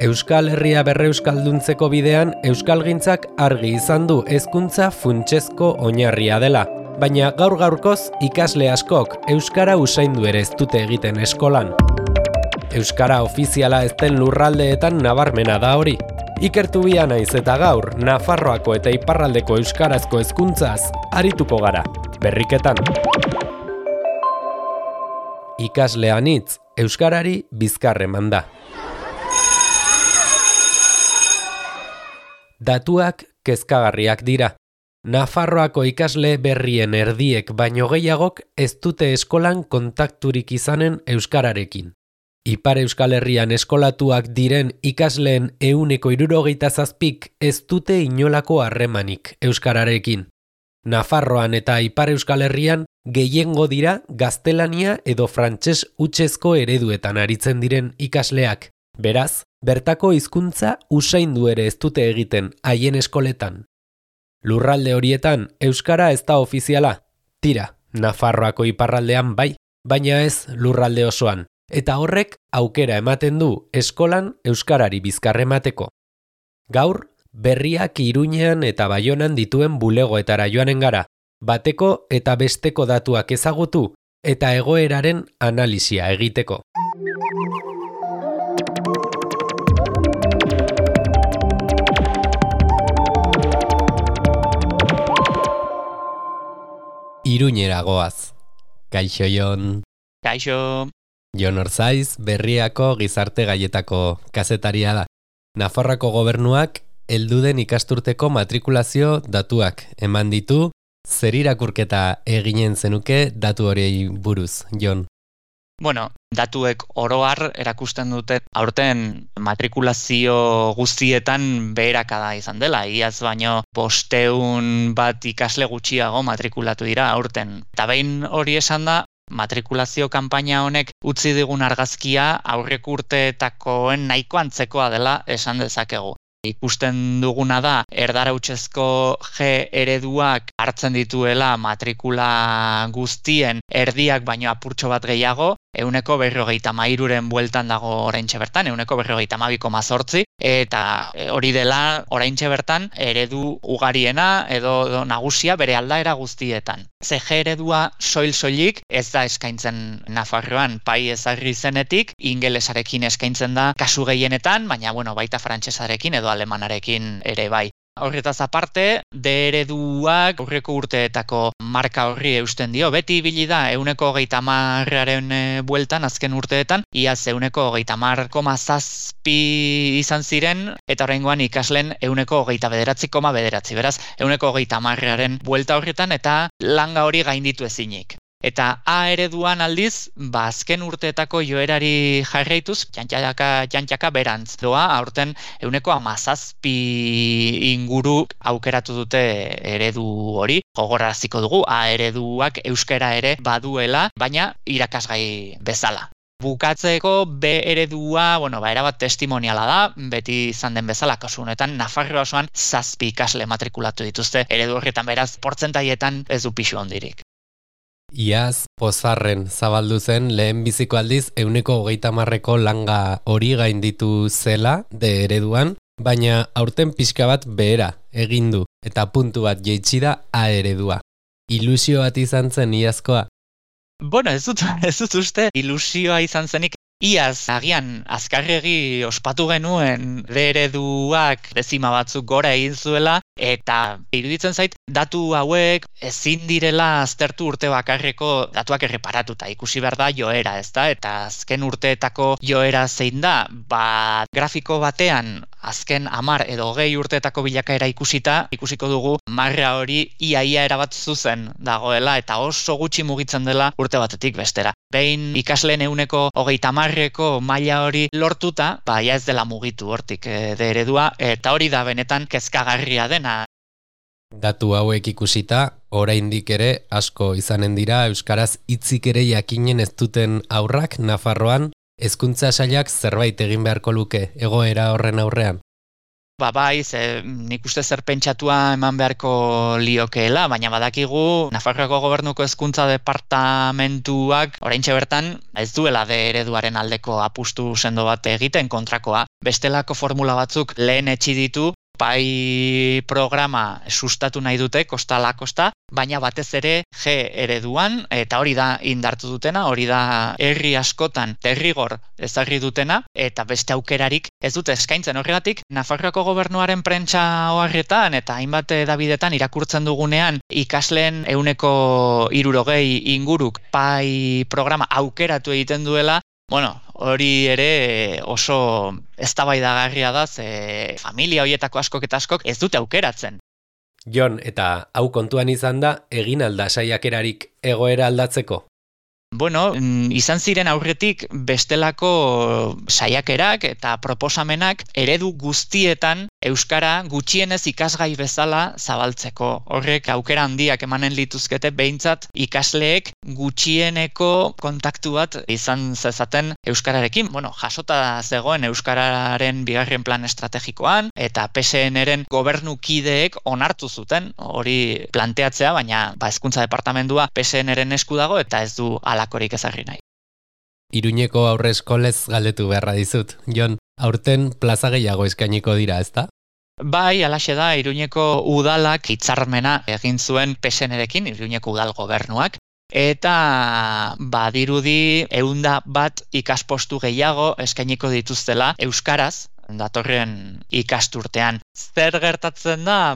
Euskal Herria berreuskalduntzeko bidean euskalgintzak argi izan du hezkuntza funtsezko oinarria dela, baina gaur-gaurkoz ikasle askok euskara usaindu ere ez dute egiten eskolan. Euskara ofiziala ez den lurraldeetan nabarmena da hori. Ikertu bia naiz eta gaur Nafarroako eta iparraldeko euskarazko hezkuntzaz arituko gara, berriketan. Ikasle anitz, euskarari bizkar eman da. Datuak kezkagarriak dira. Nafarroako ikasle berrien erdiek baino gehiagok ez dute eskolan kontakturik izanen euskararekin. Ipar Euskal Herrian eskolatuak diren ikasleen 67% ez dute inolako harremanik euskararekin. Nafarroan eta Ipar Euskal Herrian gehiengo dira gaztelania edo frantses hutsezko ereduetan aritzen diren ikasleak. Beraz, bertako hizkuntza usaindu ere ez dute egiten haien eskoletan. Lurralde horietan euskara ez da ofiziala. Tira, Nafarroako iparraldean bai, baina ez lurralde osoan. Eta horrek aukera ematen du eskolan euskarari bizkar emateko. Gaur, berriak Iruñean eta Baionan dituen bulegoetara joanen gara, bateko eta besteko datuak ezagutu eta egoeraren analisia egiteko. Iruñera goaz. Kaixo Jon. Kaixo. Jon Orzaiz, Berriako gizarte gaietako kazetaria da. Nafarroako gobernuak heldu den ikasturteko matrikulazio datuak eman ditu, zer irakurketa eginen zenuke datu horiei buruz, Jon? Bueno, datuek oro har erakusten dute aurten matrikulazio guztietan beherakada izan dela. Iaz baino 500 bat ikasle gutxiago matrikulatu dira aurten. Eta behin hori esan da, matrikulazio kanpaina honek utzi digun argazkia aurreko urteetakoen nahiko antzekoa dela esan dezakegu. Ikusten duguna da, erdara hutsezko G ereduak hartzen dituela matrikula guztien erdiak baino apurtxo bat gehiago, 153ren bueltan dago oraintxe bertan, 152,8, eta hori dela oraintxe bertan eredu ugariena edo nagusia bere aldaera guztietan. CG eredua soilik ez da eskaintzen Nafarroan, pai ezarri zenetik, ingelesarekin eskaintzen da kasu gehienetan, baina baita frantsesarekin edo alemanarekin ere bai. Horretaz aparte, D ereduak aurreko urteetako marka horri eusten dio. Beti ibili da 130aren bueltan azken urteetan, iaz 130,7 izan ziren, eta oraingoan ikasleen 129,9. Beraz, 130aren buelta horretan eta langa hori gainditu ezinik. Eta A ereduan aldiz, azken urteetako joerari jarraituz, jantxaka berantz doa, aurten 117 inguru aukeratu dute eredu hori. Gogoraraziko dugu, A ereduak euskara ere baduela, baina irakasgai bezala. Bukatzeko B eredua, erabat testimoniala da, beti izan den bezala, kasu honetan Nafarroa osoan 7 ikasle matrikulatu dituzte eredu horretan, beraz, portzentaietan ez du pixu hondirik. Iaz, pozarren zabaldu zen lehen biziko aldiz 130ko langa hori gainditu zela de ereduan, baina aurten pixka bat behera egin du eta puntu bat jaitsi da A eredua. Ilusio bat izan zen iazkoa? Ez dut uste ilusioa izan zenik. Iaz, agian, azkarregi ospatu genuen D ereduak dezima batzuk gora egin zuela, eta iruditzen zait, datu hauek ezin direla aztertu urte bakarreko datuak erreparatuta. Ikusi behar da joera, ezta? Eta azken urteetako joera zein da, grafiko batean azken 10 edo 20 urteetako bilakaera ikusiko dugu marra hori iaia erabat zuzen dagoela, eta oso gutxi mugitzen dela urte batetik bestera. Behin ikasleen 130ko maila hori lortuta, ja ez dela mugitu hortik D eredua, eta hori da benetan kezkagarria dena. Datu hauek ikusita, oraindik ere asko izanen dira euskaraz hitzik ere jakinen ez duten haurrak Nafarroan, hezkuntza sailak zerbait egin beharko luke egoera horren aurrean. Bai, nik uste zer pentsatua eman beharko liokeela, baina badakigu Nafarroako Gobernuko Hezkuntza Departamentuak oraintxe bertan ez duela D ereduaren aldeko apustu sendo bat egiten kontrakoa. Bestelako formula batzuk lehen etxi ditu, bai programa sustatu nahi dute, kosta ala kosta, baina batez ere G ereduan, eta hori da indartu dutena, hori da herri askotan derrigor ezarri dutena, eta beste aukerarik ez dute eskaintzen. Horregatik, Nafarroako Gobernuaren prentsa oharretan eta hainbat hedabidetan irakurtzen dugunean ikasleen 60% inguruk bai programa aukeratu egiten duela, hori ere oso eztabaidagarria da, familia horietako askok eta askok ez dute aukeratzen. Jon, eta hau kontuan izan da, egin alda saiakerarik egoera aldatzeko? Izan ziren aurretik bestelako saiakerak eta proposamenak eredu guztietan euskara gutxienez ikasgai bezala zabaltzeko. Horrek aukera handiak emanen lituzkete behintzat ikasleek gutxieneko kontaktu bat izan zezaten euskararekin. Jasota zegoen euskararen bigarren plan estrategikoan eta PSN-ren gobernukideek onartu zuten hori planteatzea, baina Hezkuntza Departamentua PSN-ren esku dago eta ez du alakorik ezarri nahi. Iruñeko aurreskolez galdetu beharra dizut. Jon, aurten plaza gehiago eskainiko dira, ezta? Bai, halaxe da, Iruñeko udalak hitzarmena egin zuen PSN-rekin, Iruñeko udal gobernuak, eta badirudi 101 ikaspostu gehiago eskainiko dituztela euskaraz datorren ikasturtean. Zer gertatzen da?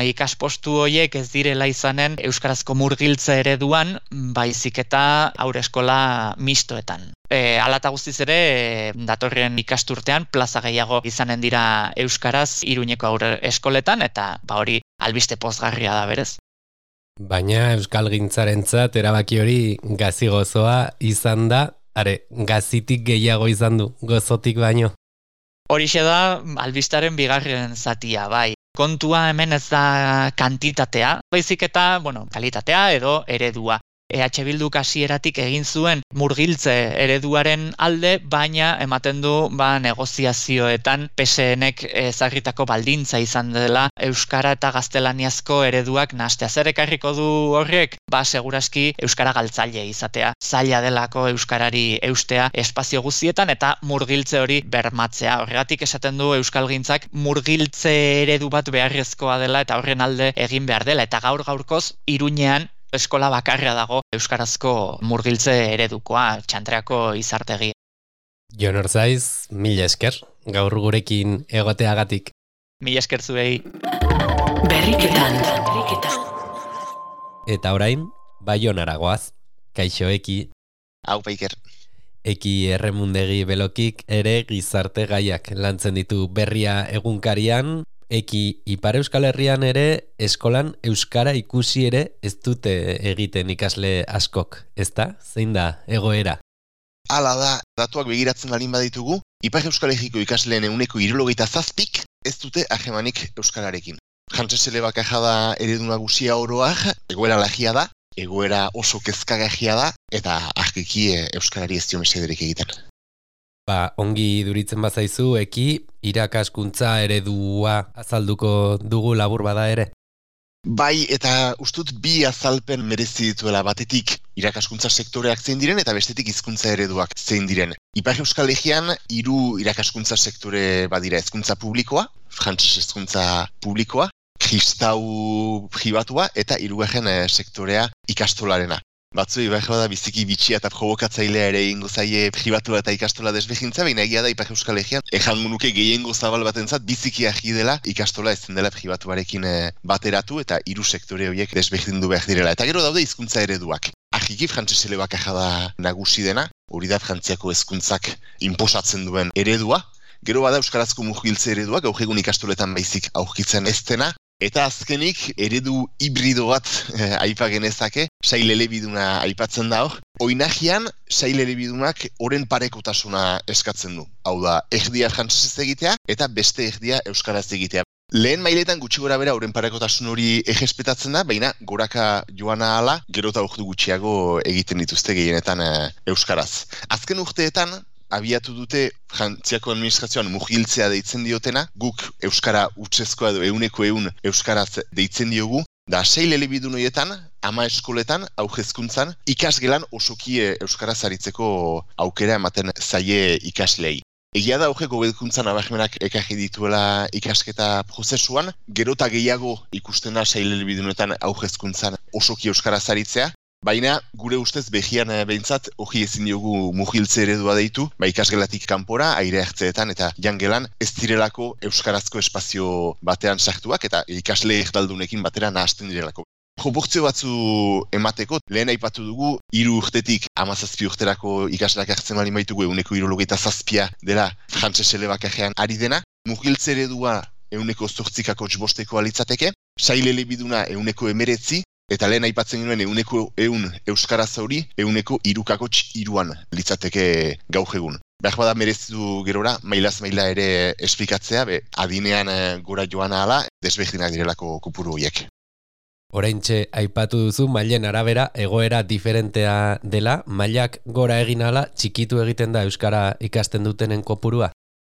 Ikaspostu horiek ez direla izanen euskarazko murgiltze ereduan, baizik eta haurreskola mistoetan. Hala eta guztiz ere, datorren ikasturtean plaza gehiago izanen dira euskaraz Iruñeko haurreskoletan, eta hori albiste pozgarria da berez. Baina euskalgintzarentzat erabaki hori gazi gozoa izan da, gazitik gehiago izan du, gozotik baino. Horixe da albistaren bigarren zatia, bai. Kontua hemen ez da kantitatea, baizik eta, kalitatea edo eredua. EH Bilduk hasieratik egin zuen murgiltze ereduaren alde, baina ematen du negoziazioetan PSN-ek ezarritako baldintza izan dela euskara eta gaztelaniazko ereduak nahastea. Zer ekarriko du horrek? Seguraski euskara galtzaile izatea. Zaila delako euskarari eustea espazio guztietan eta murgiltze hori bermatzea. Horregatik esaten du euskalgintzak murgiltze eredu bat beharrezkoa dela eta horren alde egin behar dela. Eta gaur-gaurkoz Iruñean eskola bakarra dago euskarazko murgiltze eredukoa, Txantreako izartegi. Jon Orzaiz, mila esker, gaur gurekin egoteagatik. Mila esker zuei. Berriketan. Eta orain, Baionara goaz, kaixo Eki. Hau Iker. Eki Erremundegi Belokik ere gizarte gaiak lantzen ditu Berria egunkarian. Eki Ipar Euskal Herrian ere eskolan euskara ikusi ere ez dute egiten ikasle askok, ezta? Zein da egoera? Hala da, datuak begiratzen balin baditugu, Ipar Euskal Herriko ikasleen 77% ez dute harremanik euskararekin. Jantzes elebakaja da eredu nagusia oroak, egoera lagia da, egoera oso kezkagarria da, eta argiki euskarari ez dio mesederik egiten. Ongi duritzen bazaizu, Eki, irakaskuntza eredua azalduko dugu labur bada ere? Bai, eta ustut bi azalpen merezi dituela, batetik irakaskuntza sektoreak zein diren eta bestetik hizkuntza ereduak zein diren. Ipar Euskal Herrian 3 irakaskuntza sektore badira, hezkuntza publikoa, frantses hezkuntza publikoa, kristau pribatua eta 3. Sektorea ikastolarena. Batzuei da biziki bitxia eta provokatzailea ere egingo zaie pribatua eta ikastola desberdintza, baina egia da Ipar Euskal Herrian ejango nuke gehiengo zabal batentzat biziki argi dela ikastola ezin dela pribatuarekin bateratu eta 3 sektore horiek desberdindu behar direla. Eta gero daude hizkuntza ereduak. Argiki frantses elebakaja da nagusi dena, hori da Frantziako hezkuntzak inposatzen duen eredua. Gero bada euskarazko murgiltze eredua, gaur egun ikastoletan baizik aurkitzen ez dena. Eta azkenik, eredu hibrido bat aipa genezake, sail elebiduna aipatzen da hor. Oinagian, sail elebidunak oren parekotasuna eskatzen du. Hau da, erdia frantsesez egitea eta beste erdia euskaraz egitea. Lehen mailetan gutxi gora bera oren parekotasun hori errespetatzen da, baina goraka joana ala, gero eta ordu gutxiago egiten dituzte gehienetan euskaraz. Azken urteetan, abiatu dute Frantziako administrazioan mugiltzea deitzen diotena, guk euskara hutsezkoa edo 100% euskaraz deitzen diogu, da 6 elebidun horietan, 10 eskoletan, hezkuntzan, ikasgelan osoki euskaraz aritzeko aukera ematen zaie ikaslei. Egia da hobedkuntzan nabarmenak ekarri dituela ikasketa prozesuan, gero eta gehiago ikusten da 6 elebidunetan hezkuntzan osoki euskaraz aritzea, baina gure ustez behian behintzat hori ezin diogu mugiltze eredua deitu, ikasgelatik kanpora, aire hartzeetan eta jangelan ez direlako euskarazko espazio batean sartuak eta ikasle erdaldunekin batera nahasten direlako. Proportzio batzu emateko, lehen aipatu dugu, 3 urtetik 17 urterako ikasleak hartzen bali baitugu 177 dela frantses elebakajean ari dena, mugiltze eredua 108,5 litzateke, 6 elebiduna 119, eta lehen aipatzen genuen 100 euskaraz hori 103,3 litzateke gaur egun. Behar bada merezitu gerora, mailaz maila ere esplikatzea, adinean gora joan ahala, desberdinak direlako kopuru horiek. Oraintxe aipatu duzu mailen arabera egoera diferentea dela, mailak gora egin ala txikitu egiten da euskara ikasten dutenen kopurua?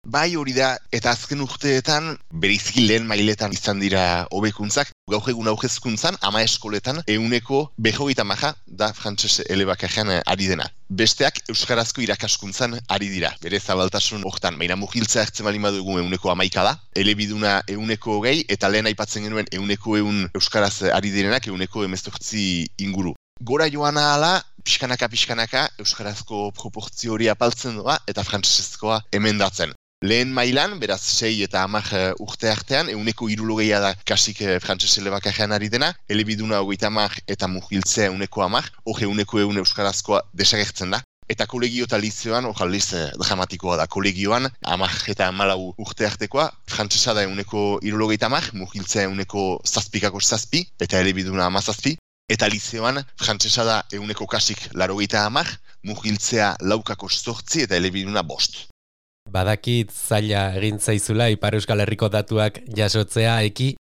Bai hori da, eta azken urteetan, berizki lehen mailetan izan dira hobekuntzak, gaur egun hezkuntzan, 10 eskoletan, 50% da frantses elebakajean ari dena. Besteak euskarazko irakaskuntzan ari dira, bere zabaltasun hortan, baina mugiltzea hartzen bali badugu 11% da, elebiduna 20 eta lehen aipatzen genuen 100 euskaraz ari direnak 118 inguru. Gora joan ahala, pixkanaka euskarazko proportzio hori apaltzen doa eta frantsesezkoa emendatzen. Lehen mailan, beraz 6 eta 10 urte artean, 160 da kasik frantses elebakajean ari dena, elebiduna 30 eta mugiltzea 110, hori 100 euskarazkoa desagertzen da. Eta kolegio eta lizeoan, hori dramatikoa da, kolegioan 10 eta 14 urte artekoa, frantsesa da 160, mugiltzea 107,7 eta elebiduna 17, eta lizeoan frantsesa da 100 kasik 80, mugiltzea 4,8 eta elebiduna 5. Badakit zaila egin zaizula Ipar Euskal Herriko datuak jasotzea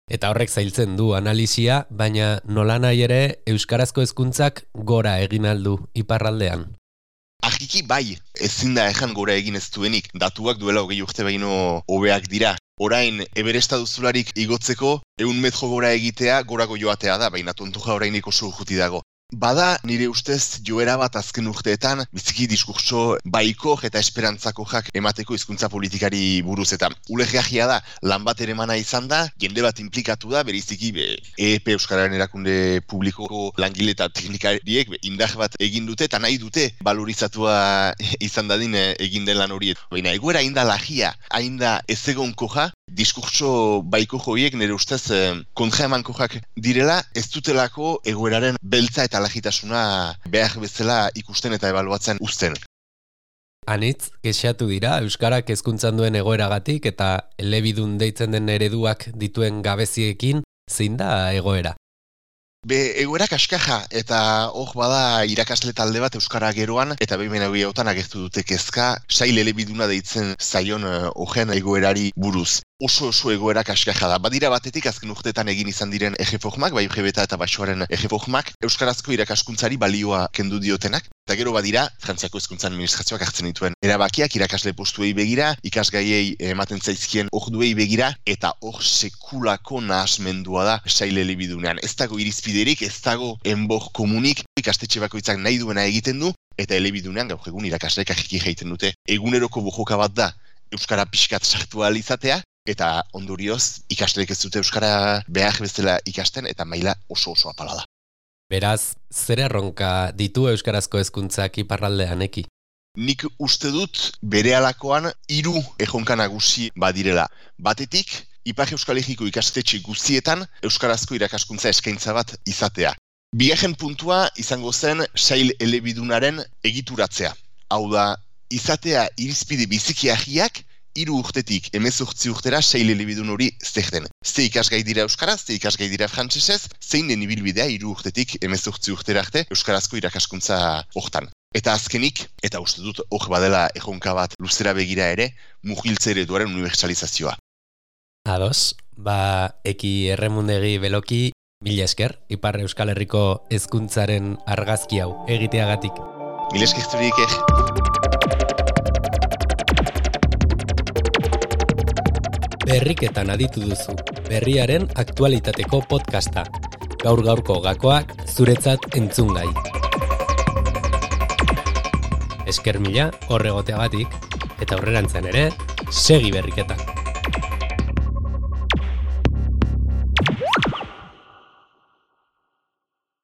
eta horrek zailtzen du analisia, baina nolanahi ere euskarazko hezkuntzak gora egin aldu iparraldean. Argiki bai, ezin da ejan gora egin ez duenik, datuak duela 20 urte baino hobeak dira. Orain, Everesta duzularik igotzeko, 100 metro gora egitea gorago joatea da, baina tontoja oraindik oso juti dago. Bada, nire ustez, joera bat azken urteetan, biziki diskurtso baikor eta esperantzakojak emateko hizkuntza politikari buruz eta ulegeagia da, lan bat ere mana izan da, jende bat implikatu da, beriziki EEP Euskararen erakunde publikoko langile eta teknikariek indar bat egin dute eta nahi dute valorizatua izan dadin egin den lan horiek. Baina egoera hain da lagia, hain da ez egonkoja, diskurtso baiko joiek nire ustez kontra emankojak direla, ez dutelako egoeraren beltza eta lagitasuna behar bezala ikusten eta ebaluatzen uzten. Anitz, kexatu dira euskarak hezkuntzan duen egoeragatik eta elebidun deitzen den ereduak dituen gabeziekin, zein da egoera? Egoera kaskaja eta hor bada irakasle talde bat euskara geroan eta behin hauetan agertu dute kezka sail elebiduna deitzen zaion horren egoerari buruz. Oso egoera kaskaja da. Badira batetik azken urteetan egin izan diren erreformak, bai UGB eta Baixoaren erreformak, euskarazko irakaskuntzari balioa kendu diotenak. Eta gero badira, Frantziako hezkuntza administrazioak hartzen dituen erabakiak irakasle postuei begira, ikasgaiei ematen zaizkien orduei begira, eta hor sekulako nahasmendua da sail elebidunean. Ez dago irizpiderik, ez dago enbor komunik, ikastetxe bakoitzak nahi duena egiten du, eta elebidunean gaur egun irakasleek ahiki egiten dute. Eguneroko bojoka bat da, euskara pixkat sartu ahal izatea, eta ondorioz ikasleek ez dute euskara behar bezala ikasten, eta maila oso apala da. Beraz, zer erronka ditu euskarazko hezkuntzak iparraldean eki? Nik uste dut berehalakoan 3 erronka nagusi badirela. Batetik, Ipar Euskal Herriko ikastetxe guztietan euskarazko irakaskuntza eskaintza bat izatea. Bigarren puntua izango zen sail elebidunaren egituratzea. Hau da, izatea irizpide biziki agiak 3 urtetik 18 urtera sail elebidun hori zer den. Ze ikasgai dira euskaraz, ze ikasgai dira frantsesez, zein den ibilbidea 3 urtetik 18 urtera arte euskarazko irakaskuntza hortan. Eta azkenik, eta uste dut hor badela erronka bat luzera begira ere, mugiltze ereduaren unibertsalizazioa. Ados, eki Erremundegi Beloki, mila esker, Ipar Euskal Herriko hezkuntzaren argazki hau egiteagatik. Mila esker zurik. Berriketan aditu duzu, berriaren aktualitateko podcasta. Gaur-gaurko gakoak zuretzat entzungai. Esker mila horregoteagatik, eta aurrerantzean ere, segi Berriketan.